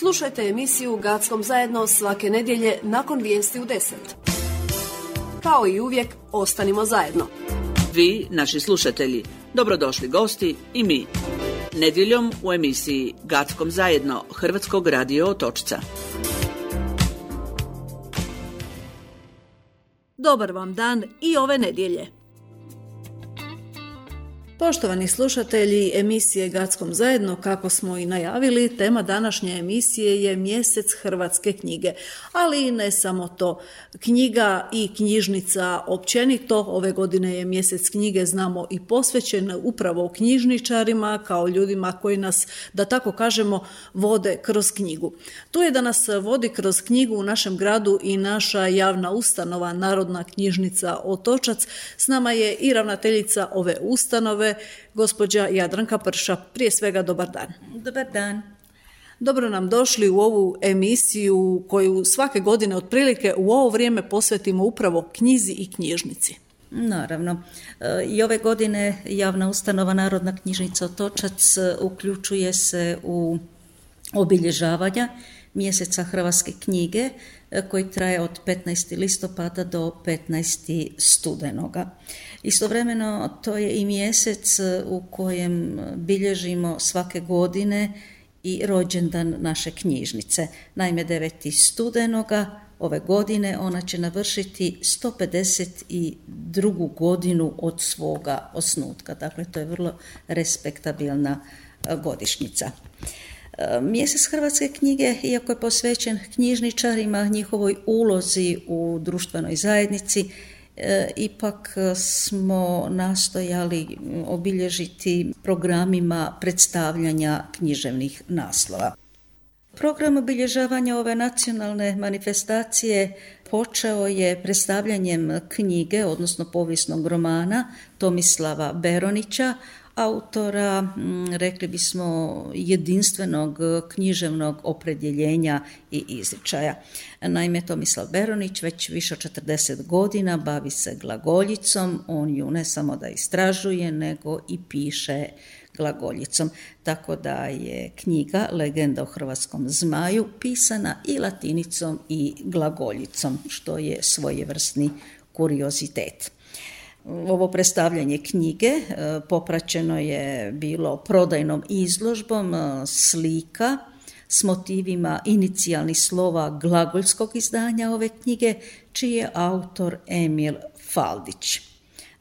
Slušajte emisiju Gackom zajedno svake nedjelje nakon vijesti u 10. Kao i uvijek, ostanimo zajedno. Vi, naši slušatelji, dobrodošli gosti i mi. Nedjeljom u emisiji Gackom zajedno Hrvatskog radio Otočca. Dobar vam dan i ove nedjelje. Poštovani slušatelji emisije Gackom zajedno, kako smo i najavili, tema današnje emisije je mjesec hrvatske knjige, ali i ne samo to. Knjiga i knjižnica općenito, ove godine je mjesec knjige, znamo, i posvećen upravo knjižničarima kao ljudima koji nas, da tako kažemo, vode kroz knjigu. Tu je da nas vodi kroz knjigu u našem gradu i naša javna ustanova Narodna knjižnica Otočac. S nama je i ravnateljica ove ustanove, gospođa Jadranka Prša. Prije svega, dobar dan. Dobar dan. Dobro nam došli u ovu emisiju koju svake godine otprilike u ovo vrijeme posvetimo upravo knjizi i knjižnici. Naravno. I ove godine javna ustanova Narodna knjižnica Otočac uključuje se u obilježavanja mjeseca hrvatske knjige koji traje od 15. listopada do 15. studenoga. Istovremeno to je i mjesec u kojem bilježimo svake godine i rođendan naše knjižnice. Naime, 9. studenoga ove godine ona će navršiti 152. godinu od svoga osnutka. Dakle, to je vrlo respektabilna godišnjica. Mjesec hrvatske knjige, iako je posvećen knjižničarima, njihovoj ulozi u društvenoj zajednici, ipak smo nastojali obilježiti programima predstavljanja književnih naslova. Program obilježavanja ove nacionalne manifestacije počeo je predstavljanjem knjige, odnosno povijesnog romana Tomislava Beronića, autora, rekli bismo, jedinstvenog književnog opredjeljenja i izričaja. Naime, Tomislav Beronić već više od 40 godina bavi se glagoljicom, on ju ne samo da istražuje, nego i piše glagoljicom. Tako da je knjiga Legenda o hrvatskom zmaju pisana i latinicom i glagoljicom, što je svojevrsni kuriozitet. Ovo predstavljanje knjige popraćeno je bilo prodajnom izložbom slika s motivima inicijalnih slova glagoljskog izdanja ove knjige, čiji je autor Emil Faldić.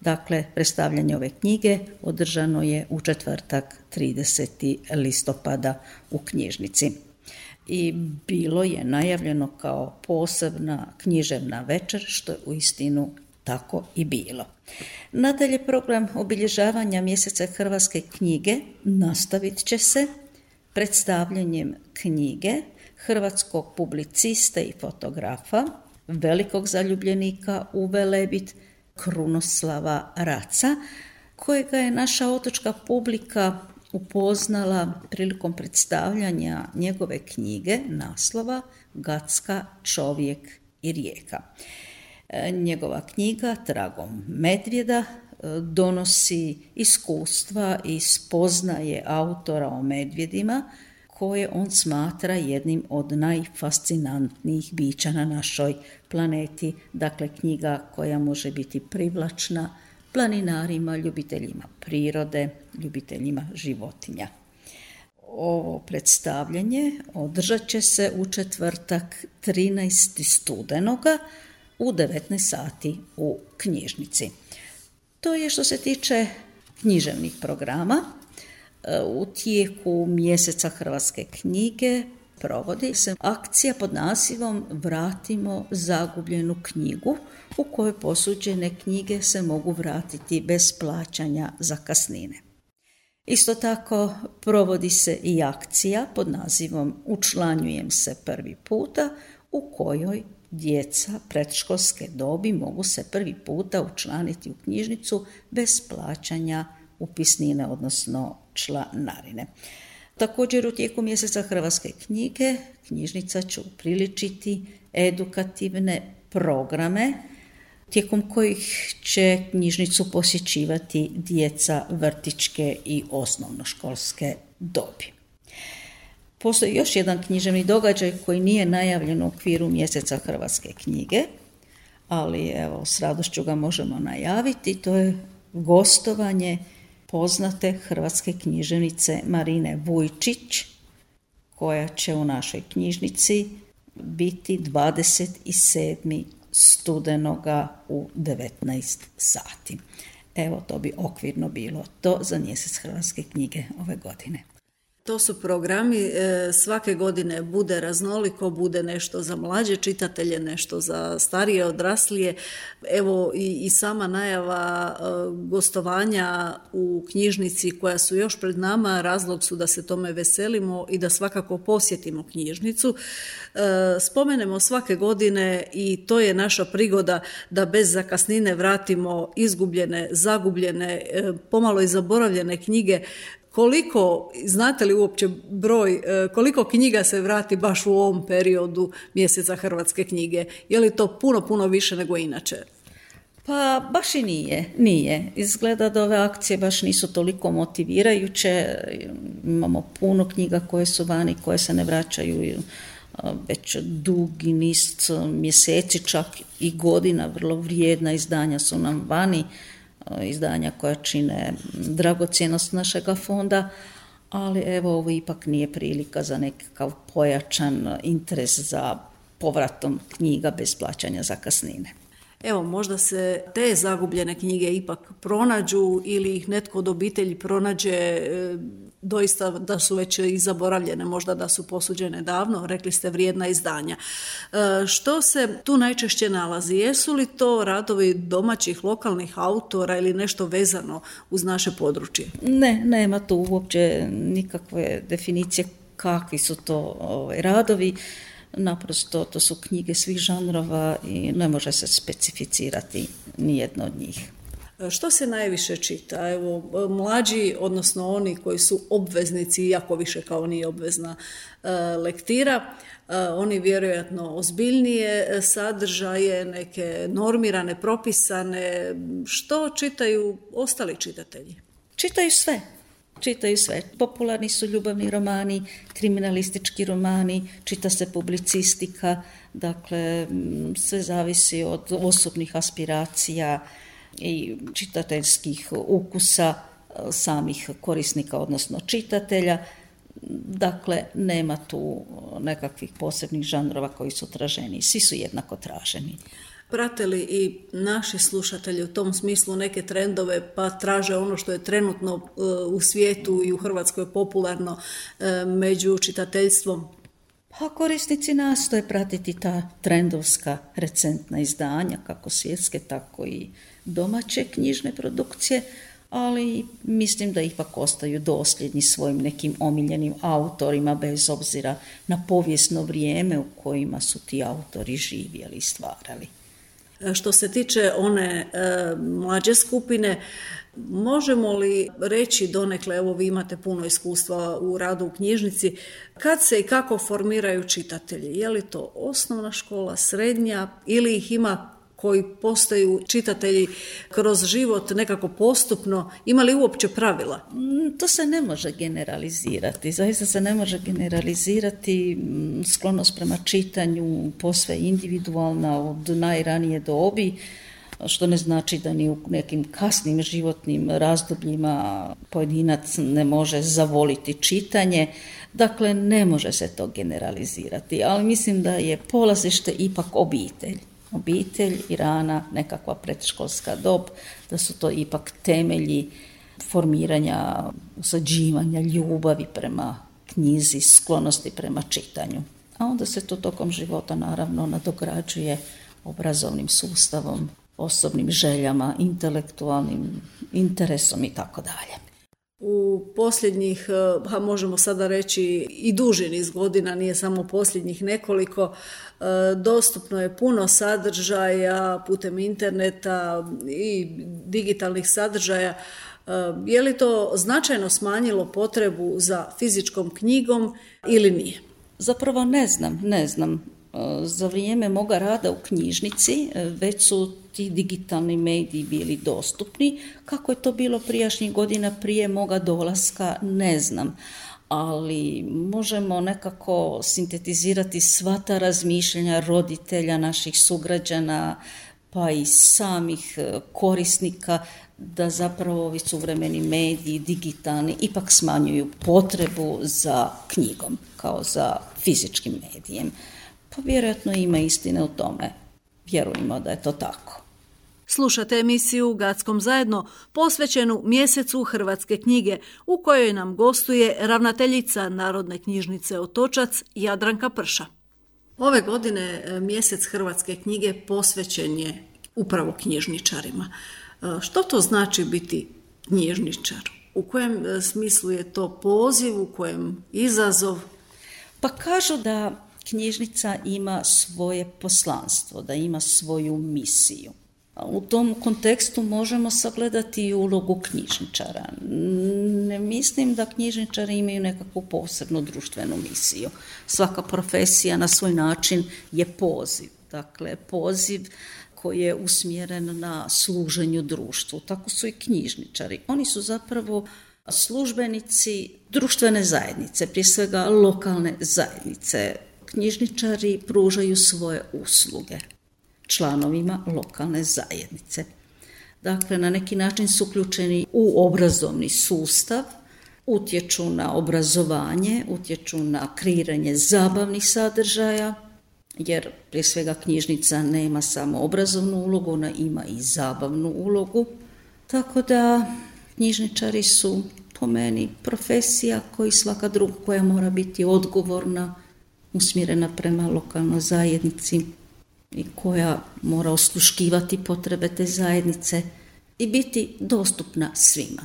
Dakle, predstavljanje ove knjige održano je u četvrtak 30. listopada u knjižnici. I bilo je najavljeno kao posebna književna večer, što je uistinu tako i bilo. Nadalje, program obilježavanja mjeseca hrvatske knjige nastavit će se predstavljanjem knjige hrvatskog publiciste i fotografa, velikog zaljubljenika u Velebit, Krunoslava Raca, kojega je naša otočka publika upoznala prilikom predstavljanja njegove knjige naslova Gacka, čovjek i rijeka. Njegova knjiga Tragom medvjeda donosi iskustva i spoznaje autora o medvjedima koje on smatra jednim od najfascinantnijih bića na našoj planeti. Dakle, knjiga koja može biti privlačna planinarima, ljubiteljima prirode, ljubiteljima životinja. Ovo predstavljanje održat će se u četvrtak 13. studenoga u 19 sati u knjižnici. To je što se tiče književnih programa. U tijeku mjeseca hrvatske knjige provodi se akcija pod nazivom Vratimo zagubljenu knjigu, u kojoj posuđene knjige se mogu vratiti bez plaćanja zakasnine. Isto tako provodi se i akcija pod nazivom Učlanjujem se prvi puta, u kojoj djeca predškolske dobi mogu se prvi puta učlaniti u knjižnicu bez plaćanja upisnine, odnosno članarine. Također u tijeku mjeseca hrvatske knjige knjižnica će upriličiti edukativne programe tijekom kojih će knjižnicu posjećivati djeca vrtićke i osnovnoškolske dobi. Postoji još jedan književni događaj koji nije najavljen u okviru mjeseca hrvatske knjige, ali evo, s radošću ga možemo najaviti. To je gostovanje poznate hrvatske književnice Marine Vujčić, koja će u našoj knjižnici biti 27. studenoga u 19 sati. Evo, to bi okvirno bilo to za mjesec hrvatske knjige ove godine. To su programi, svake godine bude raznoliko, bude nešto za mlađe čitatelje, nešto za starije, odraslije. Evo i sama najava gostovanja u knjižnici koja su još pred nama, razlog su da se tome veselimo i da svakako posjetimo knjižnicu. Spomenemo svake godine i to je naša prigoda da bez zakasnine vratimo izgubljene, zagubljene, pomalo i zaboravljene knjige. Koliko, znate li uopće broj, koliko knjiga se vrati baš u ovom periodu mjeseca hrvatske knjige? Je li to puno više nego inače? Pa baš i nije. Izgleda da ove akcije baš nisu toliko motivirajuće. Imamo puno knjiga koje su vani, koje se ne vraćaju već dugi niz mjeseci, čak i godina. Vrlo vrijedna izdanja su nam vani, izdanja koja čine dragocjenost našega fonda, ali evo, ovo ipak nije prilika za nekakav pojačan interes za povratom knjiga bez plaćanja zakasnine. Evo, možda se te zagubljene knjige ipak pronađu ili ih netko od obitelji pronađe, doista da su već i zaboravljene, možda da su posuđene davno, rekli ste vrijedna izdanja. Što se tu najčešće nalazi? Jesu li to radovi domaćih, lokalnih autora ili nešto vezano uz naše područje? Ne, nema tu uopće nikakve definicije kakvi su to radovi. Naprosto to su knjige svih žanrova i ne može se specificirati nijedno od njih. Što se najviše čita? Evo, mlađi, odnosno oni koji su obveznici, iako više kao nije obvezna lektira, oni vjerojatno ozbiljnije sadržaje, neke normirane, propisane. Što čitaju ostali čitatelji? Čitaju sve. Popularni su ljubavni romani, kriminalistički romani, čita se publicistika, dakle sve zavisi od osobnih aspiracija i čitateljskih ukusa samih korisnika, odnosno čitatelja. Dakle, nema tu nekakvih posebnih žanrova koji su traženi, svi su jednako traženi. Prate li i naši slušatelji u tom smislu neke trendove pa traže ono što je trenutno u svijetu i u Hrvatskoj popularno među čitateljstvom? Pa korisnici nastoje pratiti ta trendovska recentna izdanja, kako svjetske, tako i domaće knjižne produkcije, ali mislim da ipak ostaju dosljedni svojim nekim omiljenim autorima bez obzira na povijesno vrijeme u kojima su ti autori živjeli i stvarali. Što se tiče one mlađe skupine, možemo li reći donekle, evo vi imate puno iskustva u radu u knjižnici, kad se i kako formiraju čitatelji? Je li to osnovna škola, srednja ili ih ima koji postaju čitatelji kroz život nekako postupno? Ima li uopće pravila? To se ne može generalizirati. Zaista se ne može generalizirati. Sklonost prema čitanju posve individualna od najranije dobi, što ne znači da ni u nekim kasnim životnim razdobljima pojedinac ne može zavoliti čitanje. Dakle, ne može se to generalizirati, ali mislim da je polazište ipak obitelj i rana, nekakva predškolska dob, da su to ipak temelji formiranja, usađivanja ljubavi prema knjizi, sklonosti prema čitanju. A onda se to tokom života naravno nadograđuje obrazovnim sustavom, osobnim željama, intelektualnim interesom i tako dalje. U posljednjih, možemo sada reći i duži niz godina, nije samo posljednjih nekoliko, dostupno je puno sadržaja putem interneta i digitalnih sadržaja. Je li to značajno smanjilo potrebu za fizičkom knjigom ili nije? Zapravo ne znam. Za vrijeme moga rada u knjižnici već su ti digitalni mediji bili dostupni. Kako je to bilo prijašnjih godina prije moga dolaska, ne znam. ali možemo nekako sintetizirati sva ta razmišljanja roditelja, naših sugrađana, pa i samih korisnika, da zapravo ovi suvremeni mediji, digitalni, ipak smanjuju potrebu za knjigom, kao za fizičkim medijem. Pa vjerojatno ima istine u tome. Vjerujemo da je to tako. Slušate emisiju Gackom zajedno posvećenu mjesecu hrvatske knjige u kojoj nam gostuje ravnateljica Narodne knjižnice Otočac Jadranka Prša. Ove godine mjesec hrvatske knjige posvećen je upravo knjižničarima. Što to znači biti knjižničar? U kojem smislu je to poziv, u kojem izazov? Pa kažu da knjižnica ima svoje poslanstvo, da ima svoju misiju. U tom kontekstu možemo sagledati i ulogu knjižničara. Ne mislim da knjižničari imaju nekakvu posebnu društvenu misiju. Svaka profesija na svoj način je poziv. Dakle, poziv koji je usmjeren na služenju društvu. Tako su i knjižničari. Oni su zapravo službenici društvene zajednice, prije svega lokalne zajednice. Knjižničari pružaju svoje usluge članovima lokalne zajednice. Dakle, na neki način su uključeni u obrazovni sustav, utječu na obrazovanje, utječu na kreiranje zabavnih sadržaja, jer prije svega knjižnica nema samo obrazovnu ulogu, ona ima i zabavnu ulogu. Tako da knjižničari su po meni profesija koji svaka druga koja mora biti odgovorna, usmjerena prema lokalnoj zajednici i koja mora osluškivati potrebe te zajednice i biti dostupna svima.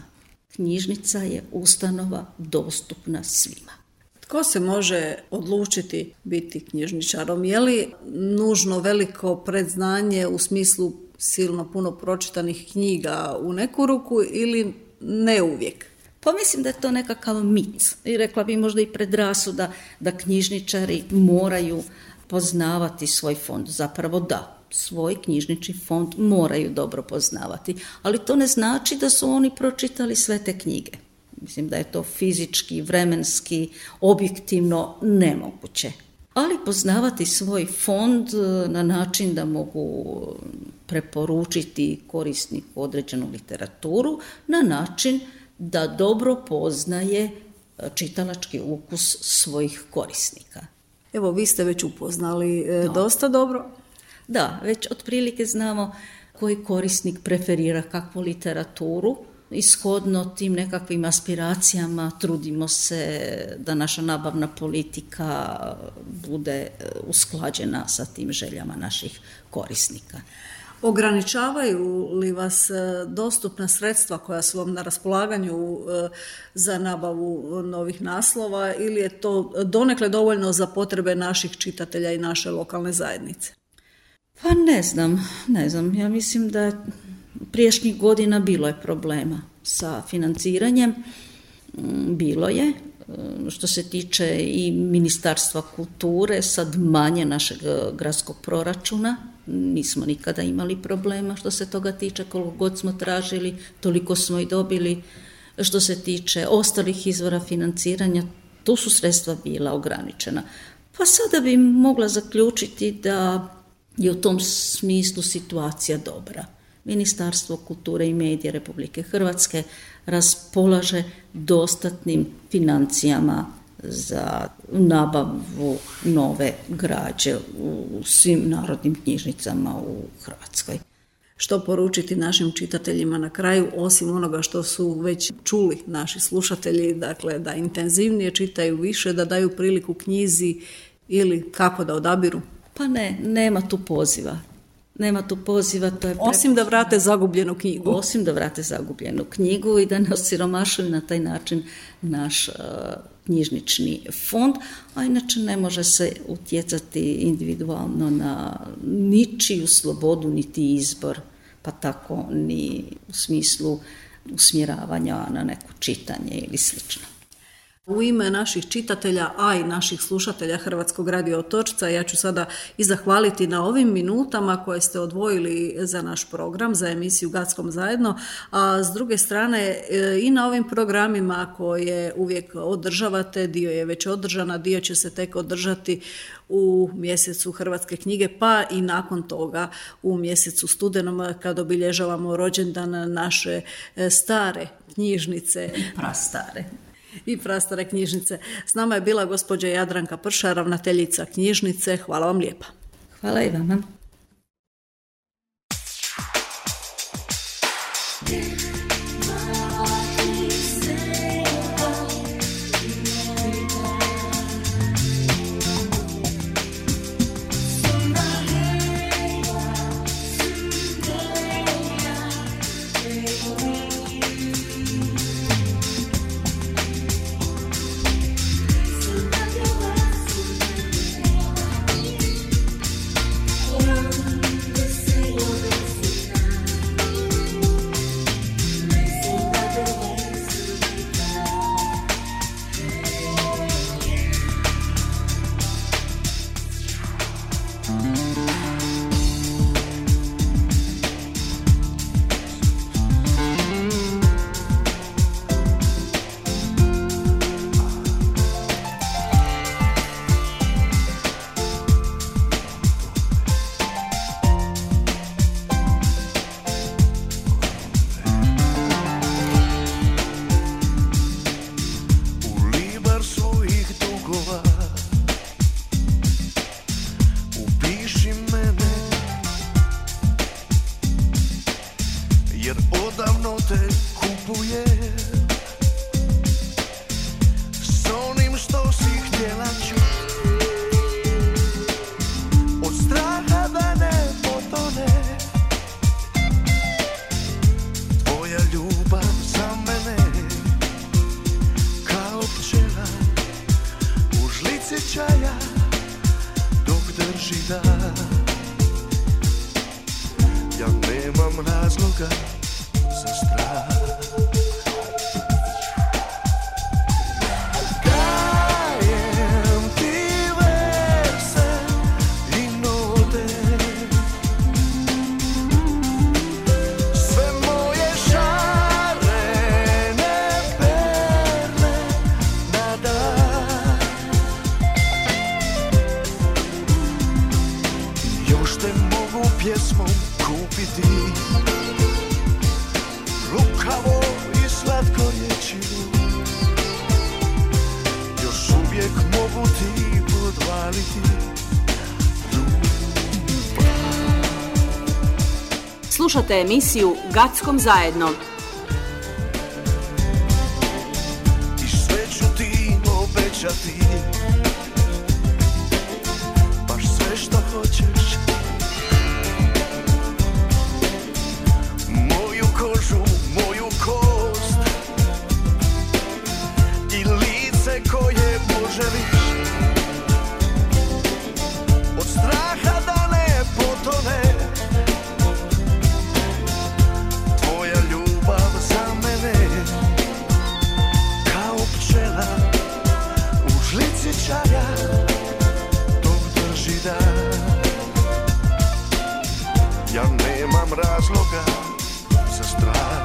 Knjižnica je ustanova dostupna svima. Tko se može odlučiti biti knjižničarom? Je li nužno veliko predznanje u smislu silno puno pročitanih knjiga u neku ruku ili ne uvijek? Pa mislim da je to nekakav mit. I rekla bi možda i predrasuda da knjižničari moraju poznavati svoj fond. Zapravo da, svoj knjižnični fond moraju dobro poznavati. Ali to ne znači da su oni pročitali sve te knjige. Mislim da je to fizički, vremenski, objektivno nemoguće. Ali poznavati svoj fond na način da mogu preporučiti korisniku određenu literaturu, na način da dobro poznaje čitalački ukus svojih korisnika. Evo, vi ste već upoznali dosta dobro. Da, već otprilike znamo koji korisnik preferira kakvu literaturu. Ishodno tim nekakvim aspiracijama trudimo se da naša nabavna politika bude usklađena sa tim željama naših korisnika. Ograničavaju li vas dostupna sredstva koja su vam na raspolaganju za nabavu novih naslova ili je to donekle dovoljno za potrebe naših čitatelja i naše lokalne zajednice? Pa ne znam. Ja mislim da prijašnjih godina bilo je problema sa financiranjem. Bilo je. Što se tiče i Ministarstva kulture, sad manje našeg gradskog proračuna. Nismo nikada imali problema što se toga tiče, koliko god smo tražili, toliko smo i dobili. Što se tiče ostalih izvora financiranja, tu su sredstva bila ograničena. Pa sada bi mogla zaključiti da je u tom smislu situacija dobra. Ministarstvo kulture i medija Republike Hrvatske raspolaže dostatnim financijama za nabavu nove građe u svim narodnim knjižnicama u Hrvatskoj. Što poručiti našim čitateljima na kraju, osim onoga što su već čuli naši slušatelji, dakle da intenzivnije čitaju više, da daju priliku knjizi ili kako da odabiru? Pa nema tu poziva. To je osim da vrate zagubljenu knjigu. Osim da vrate zagubljenu knjigu i da ne osiromašuju na taj način naš knjižnični fond, a inače ne može se utjecati individualno na ničiju slobodu niti izbor, pa tako ni u smislu usmjeravanja na neko čitanje ili slično. U ime naših čitatelja, a i naših slušatelja Hrvatskog radio Otočca, ja ću sada i zahvaliti na ovim minutama koje ste odvojili za naš program, za emisiju Gackom zajedno, a s druge strane i na ovim programima koje uvijek održavate, dio je već održana, dio će se tek održati u mjesecu Hrvatske knjige, pa i nakon toga u mjesecu studenom kad obilježavamo rođendan naše stare knjižnice. I prastare knjižnice. S nama je bila gospođa Jadranka Prša, ravnateljica knjižnice. Hvala vam lijepa. Hvala i vama. Slušate emisiju Gackom zajedno. I sve ću ti obećati, baš sve što hoćeš. Moju kožu, moju kost i lice koje poželiš. Od straha da ne potone čaja dok drži dan. Ja nemam razloga za strah.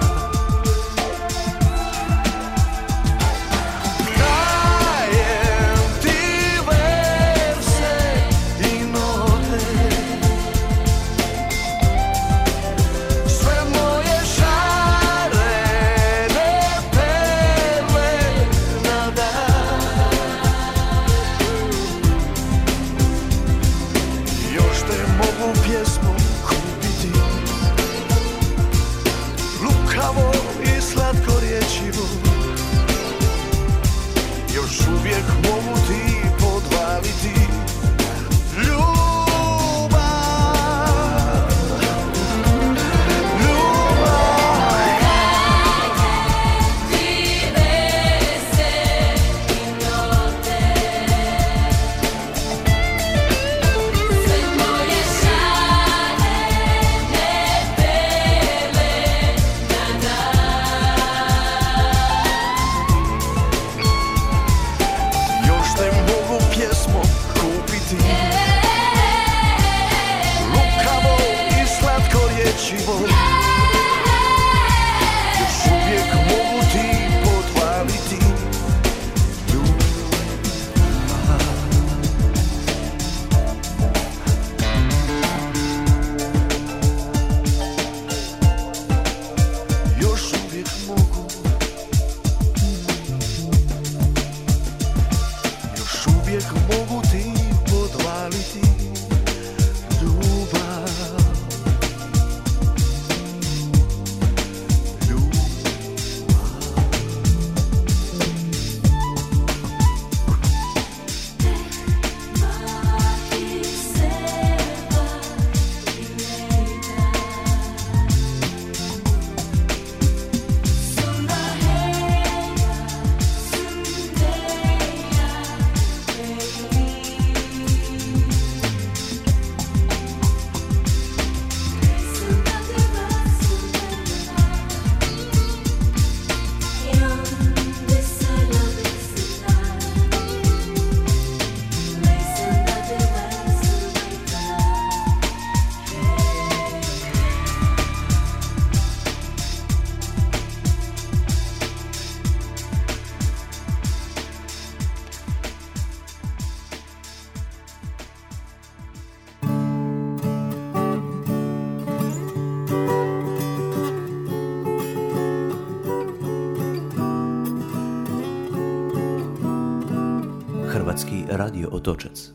Dajem ti verse i note, sve moje šarene perle na dan. Mogu pjesmu kupiti, lukavo i slatko riječivo. Još uvijek mogu ti podvaliti ljubav. još uvijek mogu, još uvijek mogu ti podvaliti ljubav. Hrvatski radio Otočac.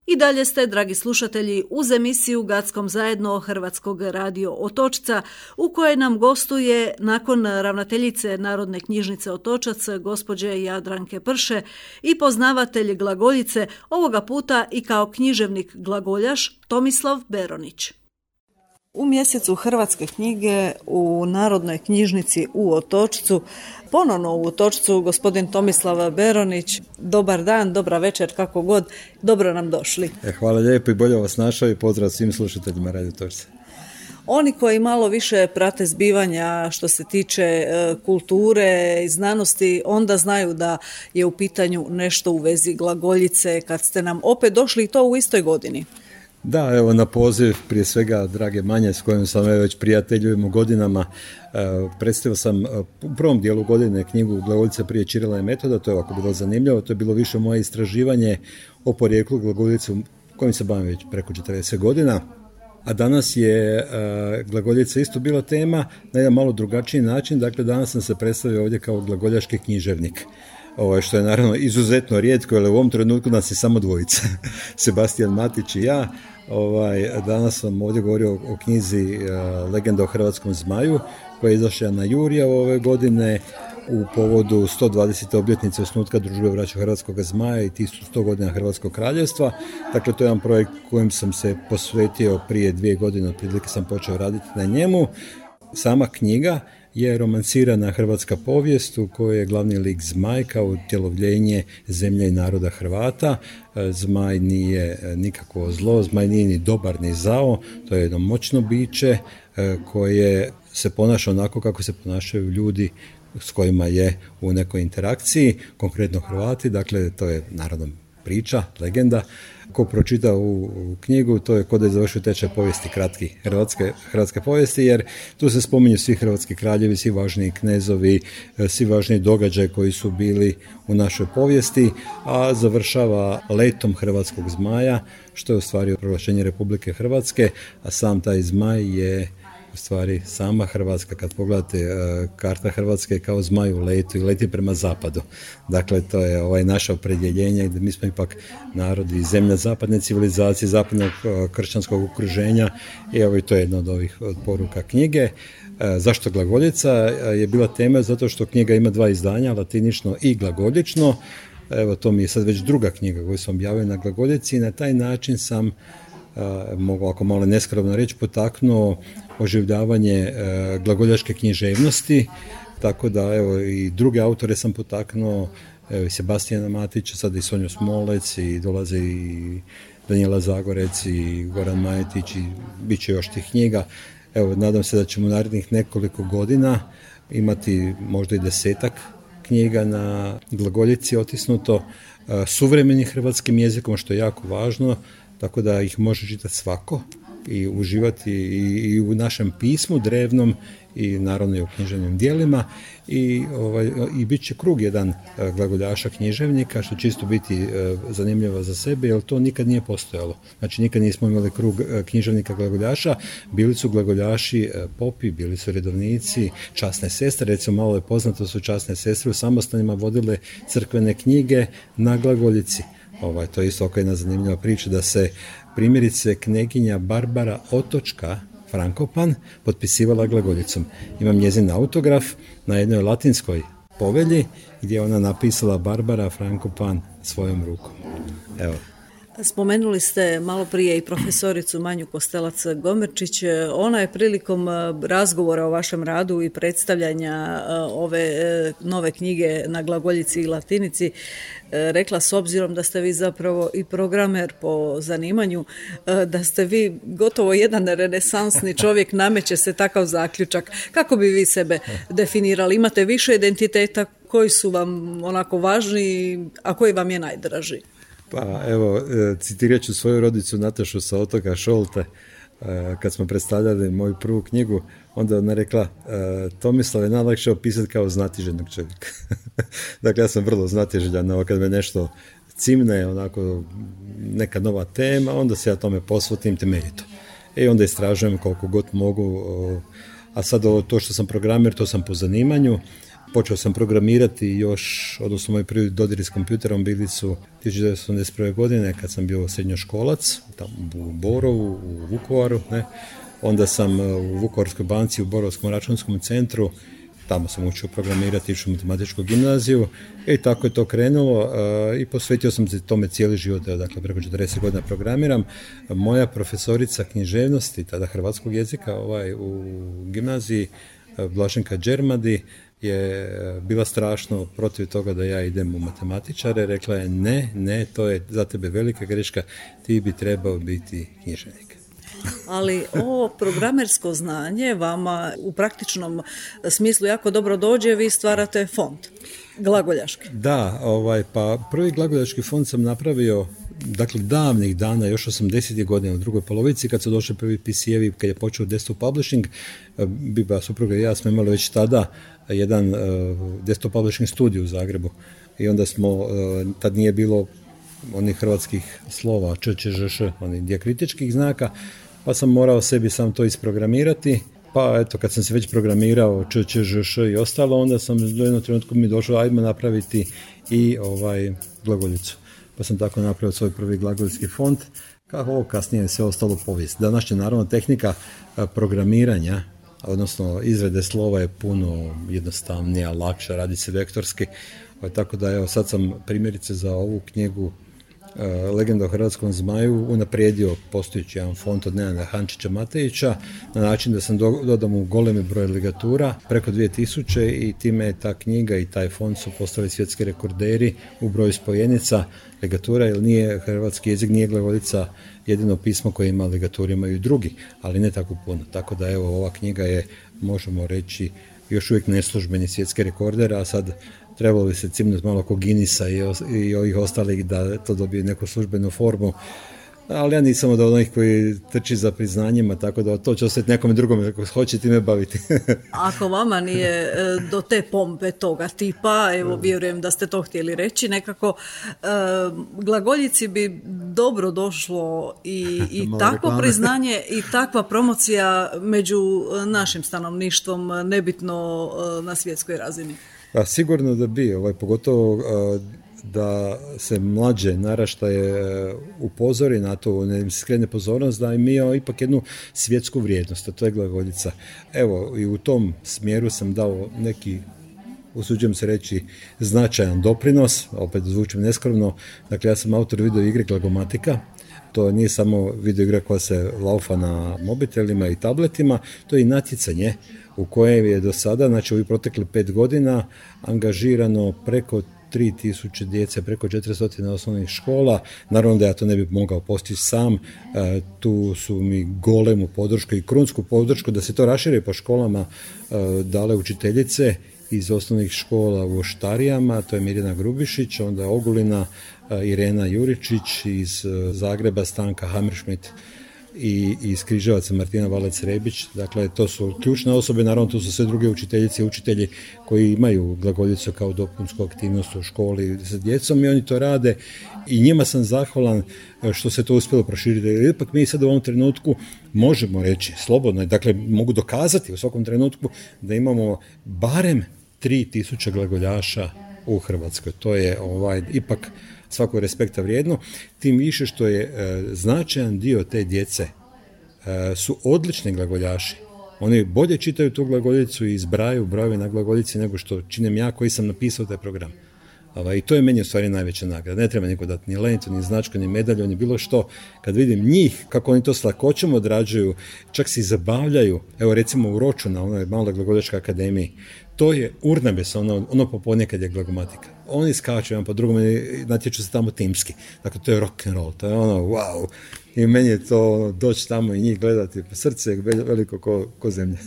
I dalje ste, dragi slušatelji, uz emisiju Gackom zajedno Hrvatskog radio Otočca, u kojoj nam gostuje nakon ravnateljice Narodne knjižnice Otočac, gospođe Jadranke Prše, i poznavatelj glagoljice, ovoga puta i kao književnik glagoljaš, Tomislav Beronić. U mjesecu Hrvatske knjige u Narodnoj knjižnici u Otočcu, ponovno u Otočcu, gospodin Tomislav Beronić. Dobar dan, dobra večer, kako god, dobro nam došli. Hvala lijepo i bolje vas našao i pozdrav svim slušateljima Radio Otočca. Oni koji malo više prate zbivanja što se tiče kulture i znanosti, onda znaju da je u pitanju nešto u vezi glagoljice, kad ste nam opet došli i to u istoj godini. Da, evo na poziv prije svega drage Manje s kojom sam već prijateljujemo godinama, predstavio sam u prvom dijelu godine knjigu Glagoljica prije Čirila i Metoda. To je ovako bilo zanimljivo, to je bilo više moje istraživanje o porijeklu glagoljice kojim se bavim već preko 40 godina. A danas je glagoljica isto bila tema na jedan malo drugačiji način. Dakle, danas sam se predstavio ovdje kao glagoljaški književnik. Što je naravno izuzetno rijetko, jer u ovom trenutku nas je samo dvojica, Sebastijan Matić i ja. Danas sam ovdje govorio o knjizi Legenda o hrvatskom zmaju, koja je izašla na Jurija ove godine u povodu 120. obljetnice osnutka Družbe braće Hrvatskog zmaja i 100 godina Hrvatskog kraljevstva. Dakle, to je jedan projekt kojem sam se posvetio prije 2 godine, otprilike sam počeo raditi na njemu. Sama knjiga je romansirana hrvatska povijest u kojoj je glavni lik Zmaj kao utjelovljenje zemlje i naroda Hrvata. Zmaj nije nikakvo zlo, Zmaj nije ni dobar ni zao, to je jedno moćno biće koje se ponaša onako kako se ponašaju ljudi s kojima je u nekoj interakciji, konkretno Hrvati. Dakle, to je naravno priča, legenda. Ko pročita u knjigu, to je kod da je završio tečaj povijesti kratki hrvatske povijesti, jer tu se spominju svi hrvatski kraljevi, svi važniji knezovi, svi važniji događaji koji su bili u našoj povijesti, a završava letom hrvatskog zmaja, što je u stvari proglašenje Republike Hrvatske, a sam taj zmaj je u stvari sama Hrvatska. Kad pogledate karta Hrvatske kao zmaj u letu i leti prema zapadu. Dakle, to je naše opredjeljenje gdje mi smo ipak narod i zemlja zapadne civilizacije, zapadnog kršćanskog okruženja i to je jedna od ovih poruka knjige. Zašto glagoljica je bila tema? Zato što knjiga ima 2 izdanja, latinično i glagoljično. Evo, to mi je sad već druga knjiga koju sam objavio na glagoljici i na taj način sam, mogu ako malo neskromno reći, potaknuo oživljavanje glagoljaške književnosti, tako da evo i druge autore sam potaknuo, evo i Sebastijana Matića, sad i Sonju Smolec, i dolaze i Danijela Zagorec i Goran Majetić i bit će još tih knjiga. Evo, nadam se da ćemo u narednih nekoliko godina imati možda i 10-ak knjiga na glagoljici otisnuto suvremenim hrvatskim jezikom, što je jako važno, tako da ih može čitati svako i uživati i u našem pismu drevnom i naravno i u književnim dijelima i bit će krug jedan glagoljaša književnika, što čisto biti zanimljivo za sebe, jer to nikad nije postojalo. Znači nikad nismo imali krug književnika glagoljaša, bili su glagoljaši popi, bili su redovnici, časne sestre, recimo malo je poznato su časne sestre u samostanima vodile crkvene knjige na glagoljici. To je isto oko jedna zanimljiva priča da se primjerice kneginja Barbara Otočka Frankopan potpisivala glagoljicom. Imam njezin autograf na jednoj latinskoj povelji gdje je ona napisala Barbara Frankopan svojom rukom. Evo. Spomenuli ste malo prije i profesoricu Manju Kostelac-Gomerčić. Ona je prilikom razgovora o vašem radu i predstavljanja ove nove knjige na glagoljici i latinici rekla, s obzirom da ste vi zapravo i programer po zanimanju, da ste vi gotovo jedan renesansni čovjek, nameće se takav zaključak. Kako bi vi sebe definirali? Imate više identiteta, koji su vam onako važni, a koji vam je najdraži? Pa evo, citirat ću svoju rodicu Natašu sa otoka Šolte. Kad smo predstavljali moju prvu knjigu, onda ona rekla, Tomislav je najlakše opisati kao znatiželjnog čovjeka. Dakle, ja sam vrlo znatiželjan, kad me nešto cimne, onako neka nova tema, onda se ja tome posvetim temeljito. I onda istražujem koliko god mogu, a sad to što sam programer, to sam po zanimanju. Počeo sam programirati još, odnosno moji prvi dodiri s kompjuterom bili su 1981. godine kad sam bio srednjoškolac, tamo u Borovu, u Vukovaru, ne. Onda sam u Vukovarskoj banci, u Borovskom računskom centru, tamo sam učio programirati, išao u matematičku gimnaziju i tako je to krenulo i posvetio sam se tome cijeli život, dakle preko 40 godina programiram. Moja profesorica književnosti, tada hrvatskog jezika u gimnaziji, Blaženka Đermadi, je bila strašno protiv toga da ja idem u matematičare. Rekla je ne, to je za tebe velika greška, ti bi trebao biti književnik. Ali ovo programersko znanje vama u praktičnom smislu jako dobro dođe, vi stvarate fond glagoljaški. Da, pa prvi glagoljaški fond sam napravio dakle davnih dana, još 80. godina u drugoj polovici, kad su došli prvi PC-evi, kad je počeo desktop publishing, Biba, supruga i ja smo imali već tada jedan desktop publishing studij u Zagrebu i onda smo, tad nije bilo onih hrvatskih slova, č, onih dijakritičkih znaka, pa sam morao sebi sam to isprogramirati, pa eto, kad sam se već programirao č, i ostalo, onda sam do jednog trenutku mi došao, ajmo napraviti i glagoljicu. Pa sam tako napravio svoj prvi glagoljski fond, kako ovo kasnije sve ostalo povijest. Današnja naravno tehnika programiranja, odnosno izrade slova je puno jednostavnija, lakša, radi se vektorski, tako da evo sad sam primjerice za ovu knjigu Legenda o hrvatskom zmaju unaprijedio postojeći jedan font od Nenada Hančića Matejića na način da sam dodao mu golemi broj ligatura, preko 2000, i time je ta knjiga i taj font su postali svjetski rekorderi u broju spojenica ligatura, jer nije hrvatski jezik, nije glagoljica jedino pismo koje ima ligaturu, imaju i drugi, ali ne tako puno. Tako da evo, ova knjiga je, možemo reći, još uvijek neslužbeni svjetski rekorder, a sad trebalo bi se cimnuti malo ko Guinnessa i ovih ostalih da to dobije neku službenu formu, ali ja nisam od onih koji trči za priznanjima, tako da to će ostati nekome drugome ako hoće time baviti. Ako vama nije do te pompe toga tipa, evo vjerujem da ste to htjeli reći, nekako glagoljici bi dobro došlo i takvo priznanje i takva promocija među našim stanovništvom, nebitno na svjetskoj razini. Pa sigurno da bi, pogotovo da se mlađe naraštaje upozori na to, ne im se skrene pozornost da im je ipak jednu svjetsku vrijednost, a to je glagoljica. Evo, i u tom smjeru sam dao neki, usuđujem se reći, značajan doprinos, opet zvučim neskromno. Dakle, ja sam autor video igre Glagomatika. To nije samo video igra koja se laufa na mobitelima i tabletima, to je i natjecanje u kojem je do sada, znači u protekli 5 godina, angažirano preko 3000 djece, preko 400 osnovnih škola. Naravno da ja to ne bih mogao postići sam, tu su mi golemu podršku i krunsku podršku da se to raširi po školama dale učiteljice iz osnovnih škola u Oštarijama, to je Mirjana Grubišić, onda Ogulina, Irena Juričić, iz Zagreba Stanka Hammerschmidt, i iz Križevaca Martina Valec-Rebić. Dakle, to su ključne osobe, naravno to su sve druge učiteljice i učitelji koji imaju glagoljicu kao dopunsku aktivnost u školi sa djecom i oni to rade i njima sam zahvalan što se to uspjelo proširiti. Jer ipak mi sad u ovom trenutku možemo reći slobodno, dakle mogu dokazati u svakom trenutku da imamo barem 3000 glagoljaša u Hrvatskoj. To je ipak svakog respekta vrijedno, tim više što je značajan dio te djece su odlični glagoljaši. Oni bolje čitaju tu glagoljicu i zbrajaju brojeve na glagoljici nego što činem ja koji sam napisao taj program. I to je meni u stvari najveća nagrada. Ne treba niko dati ni lentu, ni značku, ni medalju, ni bilo što. Kad vidim njih, kako oni to s lakoćom odrađuju, čak se i zabavljaju. Evo recimo u Roču na onoj maloj glagoljaškoj akademiji. To je urnebes, ono popodne kad je glagomatika. Oni skaču jedan po drugom i natječu se tamo timski. Dakle, to je rock and roll, to je wow. I meni je to doći tamo i njih gledati, srce je veliko ko zemlja.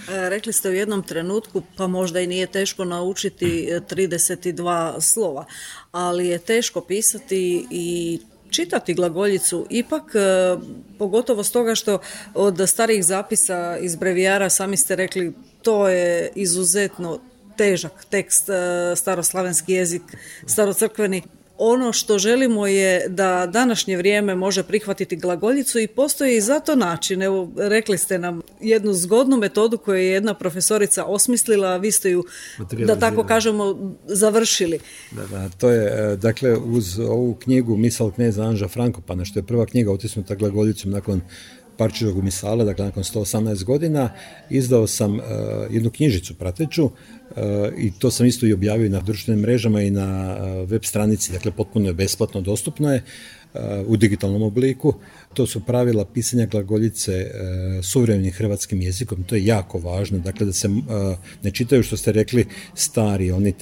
Rekli ste u jednom trenutku, pa možda i nije teško naučiti 32 slova, ali je teško pisati i čitati glagoljicu, ipak pogotovo stoga što od starijih zapisa iz brevijara, sami ste rekli, to je izuzetno težak tekst, staroslavenski jezik, starocrkveni. Ono što želimo je da današnje vrijeme može prihvatiti glagoljicu i postoji i za to način. Evo, rekli ste nam jednu zgodnu metodu koju je jedna profesorica osmislila, a vi ste ju, da tako kažemo, završili. Da, to je, dakle, uz ovu knjigu Misal kneza Anža Frankopana, što je prva knjiga otisnuta glagoljicom nakon Parčevog misala, dakle nakon 118 godina, izdao sam jednu knjižicu prateću i to sam isto i objavio na društvenim mrežama i na web stranici, dakle potpuno je besplatno, dostupno je u digitalnom obliku. To su pravila pisanja glagoljice suvremenim hrvatskim jezikom, to je jako važno, dakle da se ne čitaju što ste rekli stari, oni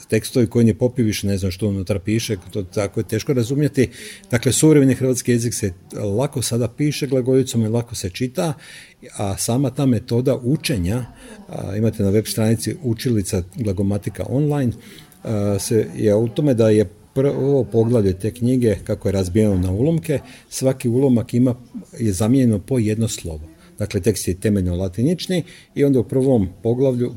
tekstovi koji ne popiviš, ne znam što unutra piše, to tako je teško razumjeti. Dakle, suvremeni hrvatski jezik se lako sada piše glagoljicom i lako se čita, a sama ta metoda učenja, imate na web stranici učilica glagomatika online, je u tome da je prvo poglavlje te knjige, kako je razbijeno na ulomke, svaki ulomak je zamijenjeno po jedno slovo. Dakle, tekst je temeljno latinični i onda u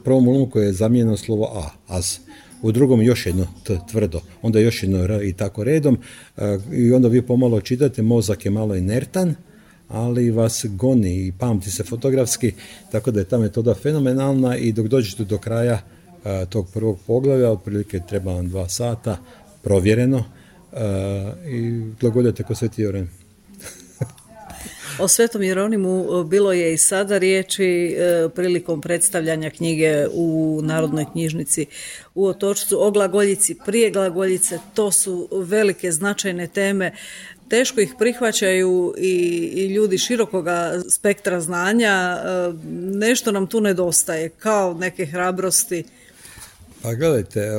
prvom ulomku je zamijenjeno slovo a, as. U drugom još jedno t, tvrdo, onda još jedno r i tako redom. I onda vi pomalo čitate, mozak je malo inertan, ali vas goni i pamti se fotografski, tako da je ta metoda fenomenalna i dok dođete do kraja tog prvog poglavlja, otprilike treba vam 2 sata, provjereno, i glagoljate ko Sveti Jeronim. O Svetom Jeronimu bilo je i sada riječi prilikom predstavljanja knjige u Narodnoj knjižnici u Otočcu, o glagoljici, prije glagoljice, to su velike značajne teme. Teško ih prihvaćaju i ljudi širokoga spektra znanja, nešto nam tu nedostaje, kao neke hrabrosti. Pa gledajte,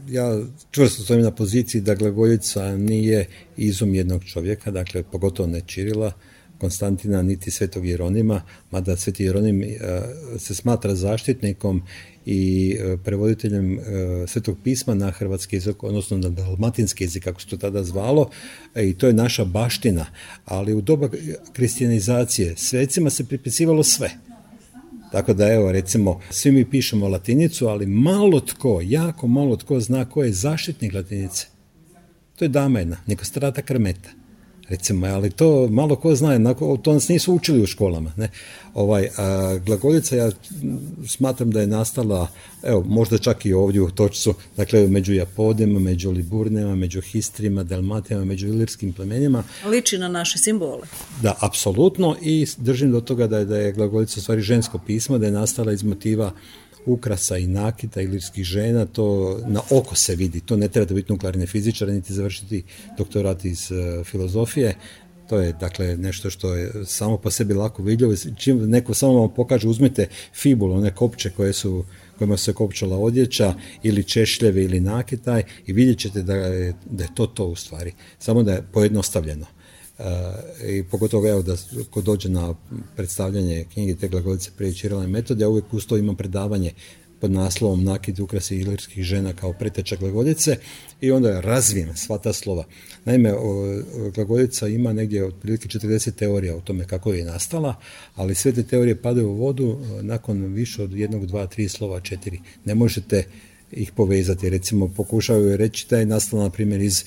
ja čvrsto stojim na poziciji da glagoljica nije izum jednog čovjeka, dakle pogotovo ne Čirila, Konstantina, niti Svetog Jeronima, mada Sveti Jeronim se smatra zaštitnikom i prevoditeljem Svetog pisma na hrvatski jezik, odnosno na dalmatinski jezik, kako se to tada zvalo, i to je naša baština. Ali u doba kristijanizacije svecima se pripisivalo sve. Tako da evo, recimo, svi mi pišemo latinicu, ali jako malo tko zna ko je zaštitnik latinice. To je dama jedna, Nikostrata Krmeta. Recimo, ali to malo ko zna, to nas nisu učili u školama. Ne? Glagoljica, ja smatram da je nastala, evo, možda čak i ovdje u Otočcu, dakle, među Japodima, među Liburnima, među Histrima, Dalmatijama, među ilirskim plemenima. Liči na naše simbole. Da, apsolutno, i držim do toga da je glagoljica u stvari žensko pismo, da je nastala iz motiva ukrasa i nakita ilirskih žena, to na oko se vidi, to ne treba biti nuklearni fizičar, niti završiti doktorat iz filozofije, to je dakle nešto što je samo po sebi lako vidljivo, čim neko samo vam pokaže, uzmite fibulu, one kopče kojima se kopčala odjeća, ili češljevi ili nakitaj, i vidjet ćete da je to u stvari, samo da je pojednostavljeno. I pogotovo evo da ko dođe na predstavljanje knjige te glagoljice prije Čirila metode, ja uvijek uz to imam predavanje pod naslovom Nakit ukrasi ilirskih žena kao preteča glagoljice i onda je razvijem sva ta slova. Naime, glagoljica ima negdje otprilike 40 teorija o tome kako je nastala, ali sve te teorije padaju u vodu nakon više od 1, 2, 3 slova, 4. Ne možete ih povezati. Recimo, pokušavaju reći da je nastala, na primjer, iz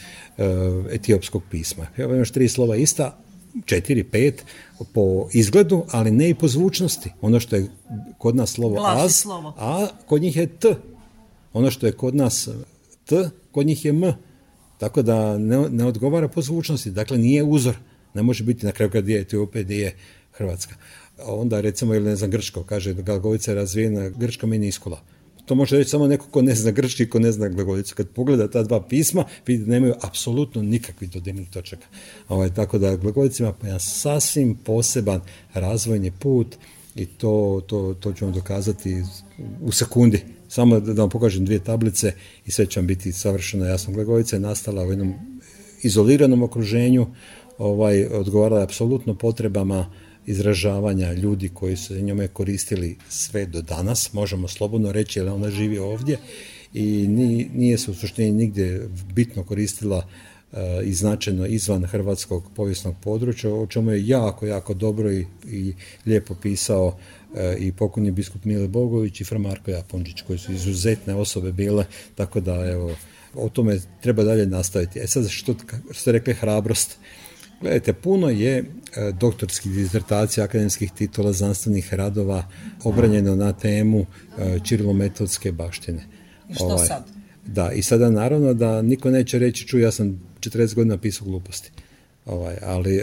etiopskog pisma. Evo imaš 3 slova ista, 4, 5 po izgledu, ali ne i po zvučnosti. Ono što je kod nas slovo az, a kod njih je t. Ono što je kod nas t, kod njih je m. Tako da ne odgovara po zvučnosti. Dakle, nije uzor. Ne može biti na kraju kad je Etiopija, gdje je Hrvatska. Onda, recimo, ili ne znam, grčko, kaže glagoljica je razvijena grčka meniskula. To može reći samo neko ko ne zna grčki, ko ne zna glagoljicu. Kad pogleda ta 2 pisma, vidi da nemaju apsolutno nikakvih dodirnih točaka. Tako da glagoljica ima jedan sasvim poseban razvojni put i to ću vam dokazati u sekundi. Samo da vam pokažem 2 tablice i sve će vam biti savršeno jasno. Glagoljica je nastala u jednom izoliranom okruženju, odgovarala je apsolutno potrebama izražavanja ljudi koji su njome koristili sve do danas, možemo slobodno reći, jer ona živi ovdje i nije se u suštini nigdje bitno koristila i značajno izvan hrvatskog povijesnog područja, o čemu je jako, jako dobro i lijepo pisao i pokojni biskup Mile Bogović i fra Marko Japončić, koji su izuzetne osobe bile, tako da evo, o tome treba dalje nastaviti. Sad, što ste rekli, hrabrost. Gledajte, puno je doktorskih disertacija, akademskih titula, znanstvenih radova obranjeno na temu ćirilometodske baštine. Što sad? Da, i sada naravno da niko neće reći, ja sam 40 godina pisao gluposti. Ali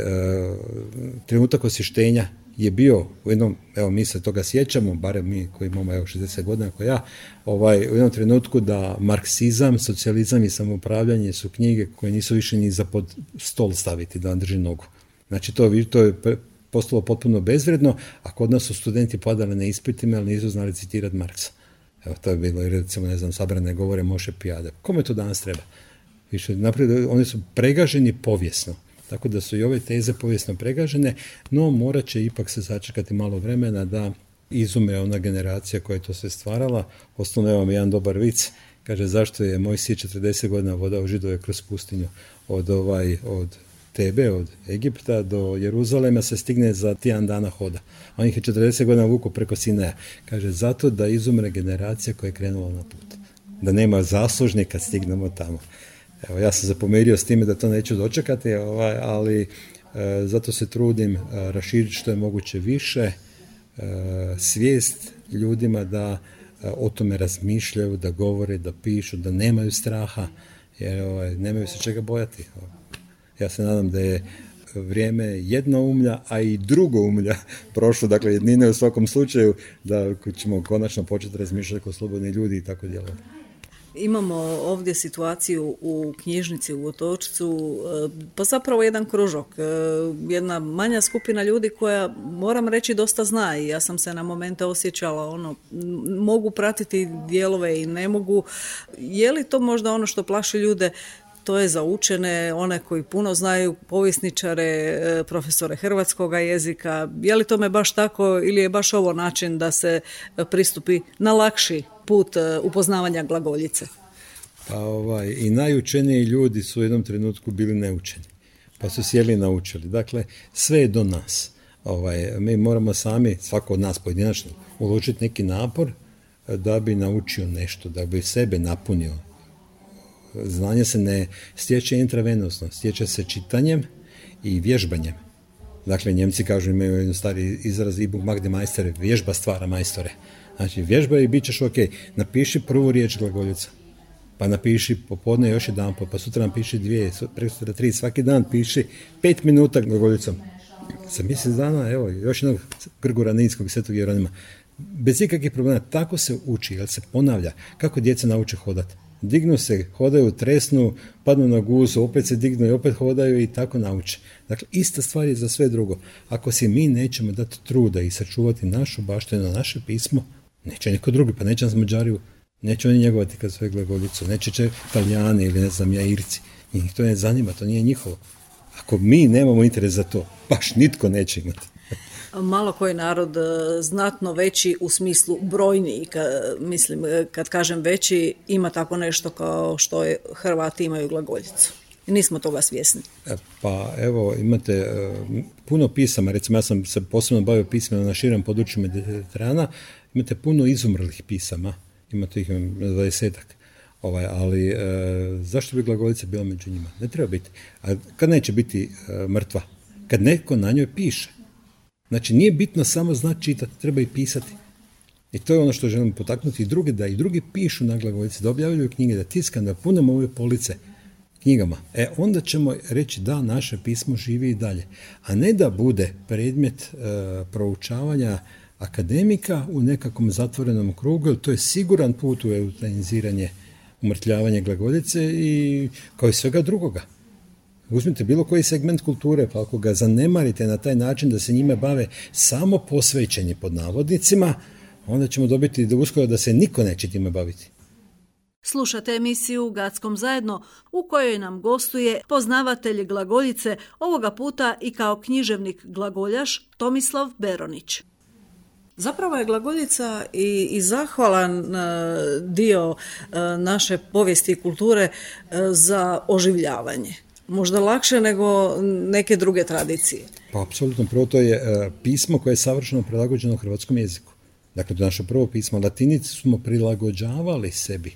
trenutak osvještenja je bio u jednom, evo mi se toga sjećamo, barem mi koji imamo 60 godina kao ja, u jednom trenutku da marksizam, socijalizam i samoupravljanje su knjige koje nisu više ni za pod stol staviti da vam drži nogu. Znači to je postalo potpuno bezvredno, a kod nas su studenti padali na ispitima, ali nisu znali citirati Marksa. Evo, to je bilo, recimo, ne znam, sabrane govore Moše Pijade. Kome to danas treba? Više, naprijed, oni su pregaženi povijesno. Tako da su i ove teze povijesno pregažene, no morat će ipak se sačekati malo vremena da izume ona generacija koja je to sve stvarala. Osnovno vam jedan dobar vic, kaže zašto je Mojsije 40 godina vodao Židove kroz pustinju od Tebe, od Egipta do Jeruzalema se stigne za tjedan dana hoda. On ih je 40 godina vuku preko Sinaja. Kaže zato da izumre generacija koja je krenula na put. Da nema zaslužnika kad stignemo tamo. Evo, ja sam se pomirio s time da to neću dočekati, ali zato se trudim raširiti što je moguće više svijest ljudima da o tome razmišljaju, da govore, da pišu, da nemaju straha, jer nemaju se čega bojati. Ja se nadam da je vrijeme jednoumlja, a i drugoumlja prošlo, dakle jednine u svakom slučaju, da ćemo konačno početi razmišljati kao slobodni ljudi i tako djelovati. Imamo ovdje situaciju u knjižnici u Otočcu, pa zapravo jedan kružok, jedna manja skupina ljudi koja, moram reći, dosta zna i ja sam se na momente osjećala, mogu pratiti dijelove i ne mogu. Je li to možda ono što plaši ljude? To je za učene, one koji puno znaju, povjesničare, profesore hrvatskoga jezika. Je li tome baš tako ili je baš ovo način da se pristupi na lakši put upoznavanja glagoljice? Pa i najučeniji ljudi su u jednom trenutku bili neučeni, pa su sjeli i naučili. Dakle, sve je do nas. Mi moramo sami, svako od nas pojedinačno, uložiti neki napor da bi naučio nešto, da bi sebe napunio. Znanje se ne stječe intravenosno, stječe se čitanjem i vježbanjem. Dakle, Njemci kažu, imaju jedan stari izraz Übung macht den Meister, vježba stvara majstore. Znači, vježba i bit ćeš ok. Napiši prvu riječ glagoljica, pa napiši popodne još jedan, pa sutra napiši 2, prekosutra 3, svaki dan piši 5 minuta glagoljicom. Za mjesec dana, evo, još jednog Grgura Ninskog, Svetog Jeronima. Bez ikakvih problema, tako se uči, jer se ponavlja. Kako djeca nauče hodati? Dignu se, hodaju, tresnu, padnu na guzu, opet se dignu i opet hodaju i tako nauče. Dakle, ista stvar je za sve drugo. Ako si mi nećemo dati truda i sačuvati našu baštinu, naše pismo, neće niko drugi, pa neće nas Mađari, neće oni njegovati kad svoje glagoljicu, neće Italijani ili ne znam ja Irci. Njih to ne zanima, to nije njihovo. Ako mi nemamo interes za to, baš nitko neće imati. Malo koji narod znatno veći u smislu brojniji, mislim, kad kažem veći, ima tako nešto kao što Hrvati imaju glagoljicu. Nismo toga svjesni. Pa evo, imate puno pisama, recimo ja sam se posebno bavio pismima na širem području Mediterana, imate puno izumrlih pisama, imate ih 20-ak, ali zašto bi glagoljica bila među njima? Ne treba biti. A kad neće biti mrtva? Kad neko na njoj piše. Znači, nije bitno samo znati čitati, treba i pisati. I to je ono što želim potaknuti i druge, da i drugi pišu na glagoljici, da objavljuju knjige, da tiskam, da punemo ove police knjigama. Onda ćemo reći da naše pismo živi i dalje. A ne da bude predmet proučavanja akademika u nekakvom zatvorenom krugu, jer to je siguran put u eutaniziranje, umrtljavanje glagoljice i kao i svega drugoga. Uzmite bilo koji segment kulture, pa ako ga zanemarite na taj način da se njime bave samo posvećeni pod navodnicima, onda ćemo dobiti do uskoro da se niko neće time baviti. Slušate emisiju Gackom zajedno u kojoj nam gostuje poznavatelj glagoljice, ovoga puta i kao književnik glagoljaš Tomislav Beronić. Zapravo je glagoljica i zahvalan dio naše povijesti i kulture za oživljavanje. Možda lakše nego neke druge tradicije. Pa apsolutno, prvo to je pismo koje je savršeno prilagođeno hrvatskom jeziku. Dakle, to naše prvo pismo, latinicu smo prilagođavali sebi.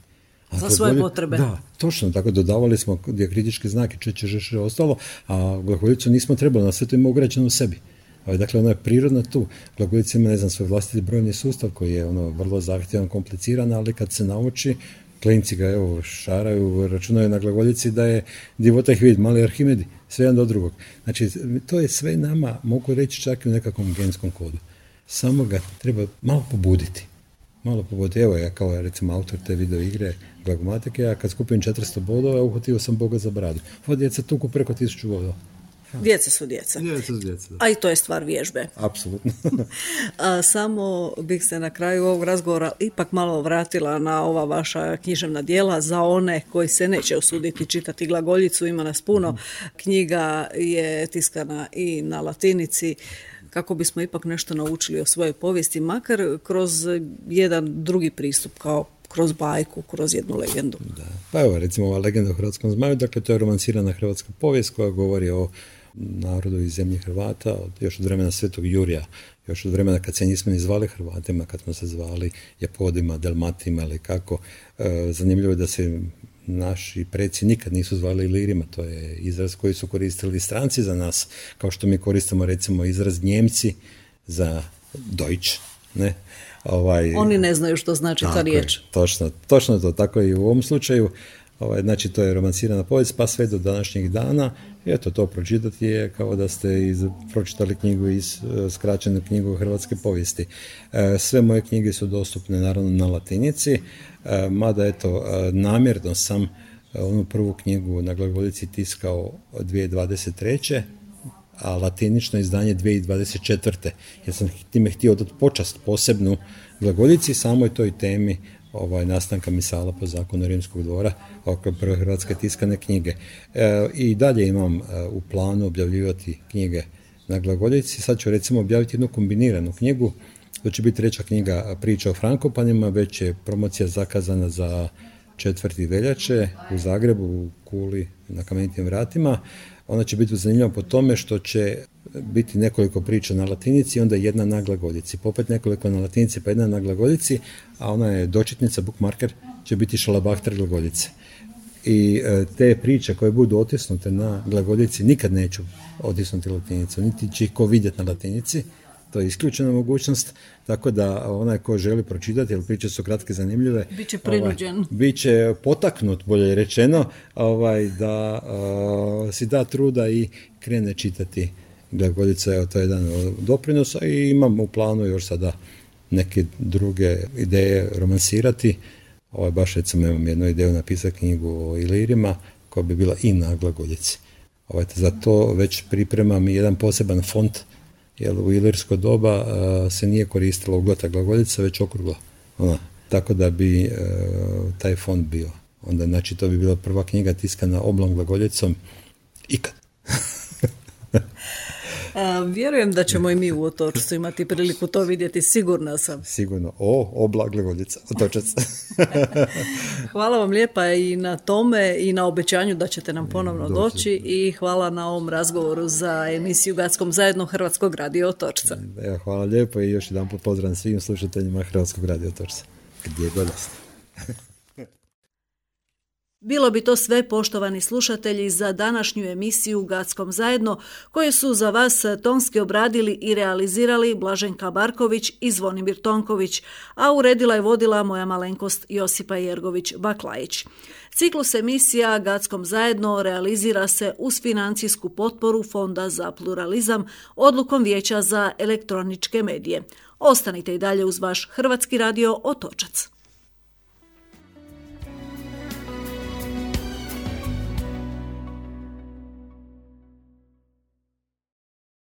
Za svoje potrebe. Da, točno, tako dodavali smo dijakritičke znake, čeče, ostalo, a glagoljicu nismo trebali, na sve to ima ugrađeno u sebi. Dakle, ona je prirodna tu. Glagoljica ima, svoj vlastiti brojni sustav koji je vrlo zahtjevan, kompliciran, ali kad se nauči, klinci ga šaraju, računaju na glagoljici da je divota ih vidi, mali Arhimedi, sve jedan do drugog. Znači, to je sve nama, mogu reći čak i u nekakvom genskom kodu. Samo ga treba malo pobuditi. Evo, ja kao recimo autor te video igre Glagomatike, ja kad skupim 400 bodova, uhvatio sam Boga za bradu. Ova djeca tuku preko 1000 bodova. Djeca su djeca. A i to je stvar vježbe. Apsolutno. Samo bih se na kraju ovog razgovora ipak malo vratila na ova vaša književna djela za one koji se neće usuditi čitati glagoljicu. Ima nas puno. Knjiga je tiskana i na latinici, kako bismo ipak nešto naučili o svojoj povijesti, makar kroz jedan drugi pristup, kao kroz bajku, kroz jednu legendu. Da. Pa evo, recimo ova legenda o hrvatskom zmaju, dakle to je romansirana hrvatska povijest koja govori o narodu iz zemlje Hrvata, još od vremena Svetog Jurija, još od vremena kad se nismo ni zvali Hrvatima, kad smo se zvali Japodima, Delmatima ili kako. Zanimljivo je da se naši preci nikad nisu zvali Ilirima, to je izraz koji su koristili stranci za nas, kao što mi koristimo recimo izraz Njemci za Deutsch, ne? Oni ne znaju što znači ta riječ. Točno to, tako i u ovom slučaju. Znači, to je romansirana povijest, pa sve do današnjeg dana. Eto, to pročitati je kao da ste pročitali knjigu skraćenu knjigu hrvatske povijesti. Sve moje knjige su dostupne naravno na latinici, mada eto, namjerno sam onu prvu knjigu na glagoljici tiskao 2023. a latinično izdanje 2024. jer sam time htio dati počast posebnu glagoljici samoj toj temi nastanka misala po zakonu Rimskog dvora, oko prve hrvatske tiskane knjige. I dalje imam u planu objavljivati knjige na glagoljici. Sad ću recimo objaviti jednu kombiniranu knjigu, to će biti treća knjiga priča o Frankopanima, već je promocija zakazana za 4. veljače u Zagrebu, u Kuli, na Kamenitim vratima. Ona će biti zanimljiva po tome što će biti nekoliko priča na latinici i onda jedna na glagoljici. Popet nekoliko na latinici pa jedna na glagoljici, a ona je dočitnica, bookmarker, će biti šalabahter glagoljice. I te priče koje budu otisnute na glagoljici nikad neću otisnuti latinicu, niti će ih ko vidjeti na latinici. To je isključena mogućnost, tako da onaj ko želi pročitati, jer priče su kratke, zanimljive, biće prinuđen. Biće potaknut, bolje rečeno, da si da truda i krene čitati glagoljica. To je jedan od doprinosa i imam u planu još sada neke druge ideje romansirati. Baš recimo imam jednu ideju napisati knjigu o Ilirima koja bi bila i na glagoljici. Za to već pripremam i jedan poseban font, jer u ilirsko doba se nije koristila uglata glagoljica, već okrugla. Tako da bi taj font bio. Onda, znači, to bi bila prva knjiga tiskana oblom glagoljicom ikad. Vjerujem da ćemo i mi u Otočcu imati priliku to vidjeti, sigurna sam. Sigurno. Obla Glagoljica, Otočac. Hvala vam lijepa i na tome i na obećanju da ćete nam ponovno doći i hvala na ovom razgovoru za emisiju Gatskom zajedno Hrvatskog radio Otočca. Hvala lijepo i još jedan put pozdrav svim slušateljima Hrvatskog radio Otočca. Gdje god ste. Bilo bi to sve, poštovani slušatelji, za današnju emisiju Gatskom zajedno, koje su za vas tonski obradili i realizirali Blaženka Barković i Zvonimir Tonković, a uredila i vodila moja malenkost Josipa Jergović-Baklajić. Ciklus emisija Gatskom zajedno realizira se uz financijsku potporu Fonda za pluralizam odlukom Vijeća za elektroničke medije. Ostanite i dalje uz vaš Hrvatski radio Otočac.